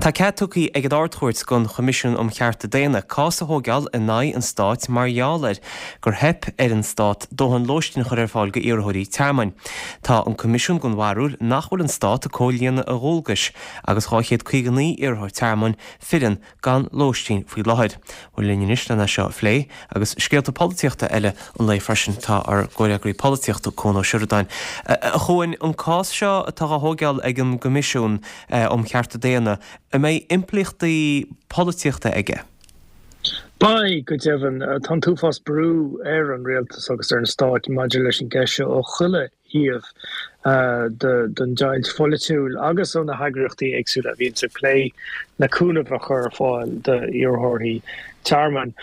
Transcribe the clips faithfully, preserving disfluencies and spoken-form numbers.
Tá cead tugtha ag an Ard-Chúirt don Choimisiún um Chearta Daonna cás a thógáil in aghaidh an stáit mar gheall ar gur theip ar an stát dóthain lóistín a chur ar fáil go iarrthóirí tearmainn. Tá an Coimisiún den bharúil nach bhfuil an stát ag comhlíonadh a dhualgais agus dhá chéad caoga naoi iarrthóir tearmainn fireann gan lóistín faoi láthair. Bhuel linn anois lena seo a phlé agus scéalta polaitíochta eile an lae freisin tá ár gcomhfhreagraí polaitíochta Cuan Ó Seireadáin. A Chuain an cás seo atá á thógáil ag an gCoimisiún um Chearta Daonna, an mbeidh impleachtaí polaitíochta aige? Beidh go deimhin tá an t-uafás brú ar an rialtas agus ar an stát maidir leis an gceist seo ó chuile thaobh den deighilt pholaitiúil agus ó na heagraíochtaí éagsúla a bhíonn ag plé le cúnamh a chur ar fáil d'iarrthóirí tearmainn.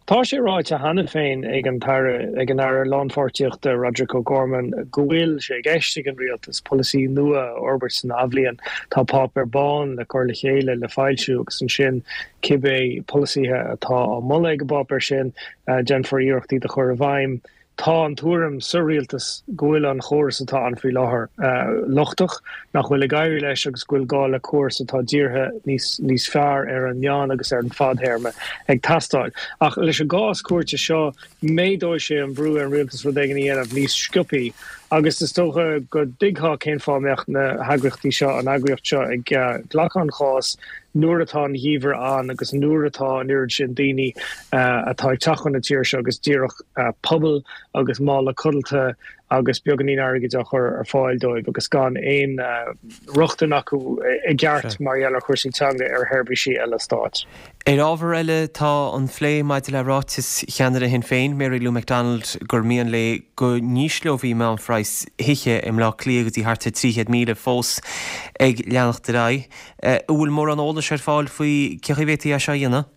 Tá sé ráite cheana féin ag an Aire ag an Aire Lánpháirtíochta Roderic O'Gorman go bhfuil sé i gceist ag an rialtas polasaí nua a fhorbairt san athbhliain. Tá páipéar bán le cur le chéile le foilsiú agus ansin cibé polasaithe atá á moladh ag an bpáipéar sin déanfar iarrachtaí a chur i bhfeidhm. Tá an tuairim sa rialtas go bhfuil an chóras atá ann faoi láthair lochtach, nach bhfuil ag éirí leis agus go bhfuil gá le córas atá dírithe níos níos fearr ar an meán agus ar an fadthéarma ag teastáil. Ach leis an gcás cúirte seo méadóidh sé an brú ar an rialtas rud éigin a dhéanamh níos sciobtha agus is dócha go dtuigfeá cén fáth mbeadh na heagraíochtaí seo an eagraíocht seo ag glacadh an chás nuair atá an geimhreadh ann agus nuair atá an oiread sin daoine atá ag teacht chun na tíre seo agus díreach puball agus mála codlata agus beagáinín airgid á chur ar fáil dóibh agus gan aon rochtain acu i gceart mar gheall ar chúrsaí teanga ar sheirbhísí eile stáit. Ar ábhar eile tá an plé maidir le ráiteas cheannaire Shinn Féin, Mary Lou McDonald, gur mian léi go n-ísleofaí meánphraghas thithe i mBleá Cliath go dtí thart ar trí chéad míle fós ag leanacht ar aghaidh. An bhfuil mórán eolais ar fáil faoi cén chaoi a bhféadfaí é seo a dhéanamh?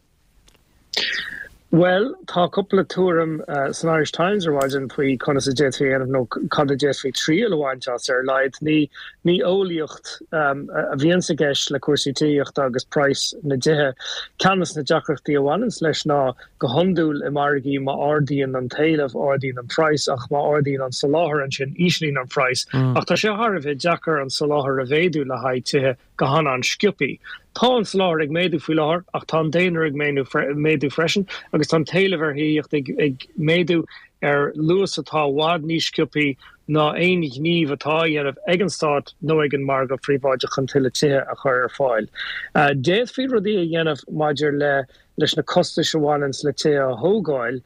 Bhuel, tá cúpla tuairim san Irish Times ar maidin faoi conas a d'fhéadfaí a dhéanamh nó cad a d'fhéadfaí triail a bhaint as ar a laghad. Ní ní eolaíocht a bhíonn i gceist le cúrsaí tithíochta agus praghas na dtithe. Ceann de na deacrachtaí a bhaineann leis ná go hiondúil i margaí má ardaíonn an t-éileamh ardaíonn an praghas ach má ardaíonn an soláthar ansin íslíonn an praghas. Ach tá sé thar a bheith deacair an soláthar a mhéadú le haghaidh tithe go han-an-sciobtha. Tá an soláthar ag méadú faoi láthair ach tá an daonra ag méadú freisin agus tá an t-éileamh ar thithíocht ag, ag méadú ar luas atá i bhfad níos sciobtha ná aon ghníomh atá á dhéanamh ag an stát nó ag an margadh príobháideach chun tuilleadh tithe a chur ar fáil. D'fhéadfaí rudaí a dhéanamh maidir le leis na costais a bhaineann le tithe a thógáil,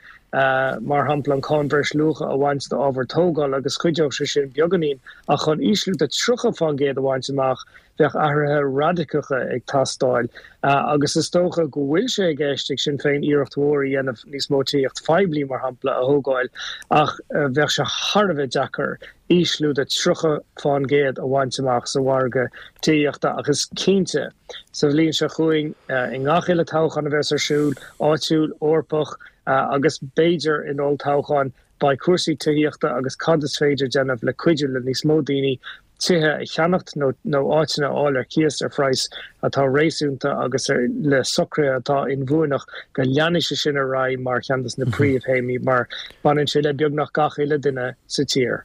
mar shampla an cáin bhreisluacha a bhaint d'ábhar tógála agus chuideodh sé sin beagáinín ach chun ísliú de tríocha faoin gcéad a bhaint amach bheadh athruithe radacacha ag teastáil agus is dócha go bhfuil sé i gceist ag Sinn Féin iarracht mhór a dhéanamh níos mó tithíocht phoiblí mar shampla a thógáil ach bheadh sé thar a bheith deacair ísliú de tríocha faoin gcéad a bhaint amach sa mhargadh tithíochta ach is cinnte sa bhliain seo chugainn i ngach uile toghchán a bheas ar siúl, áitiúil, Eorpach agus b'fhéidir in olltoghchán, beidh cúrsaí tithíochta agus cad is féidir déanamh le cuidiú le níos mó daoine tithe a cheannacht nó nó áiteanna a fháil ar cíos ar phraghas atá réasúnta agus ar le socruithe atá inbhuanach go leanfaidh sé sin ar aghaidh mar cheann de na príomhthéamaí mar baineann sé le beagnach gach uile duine sa tír.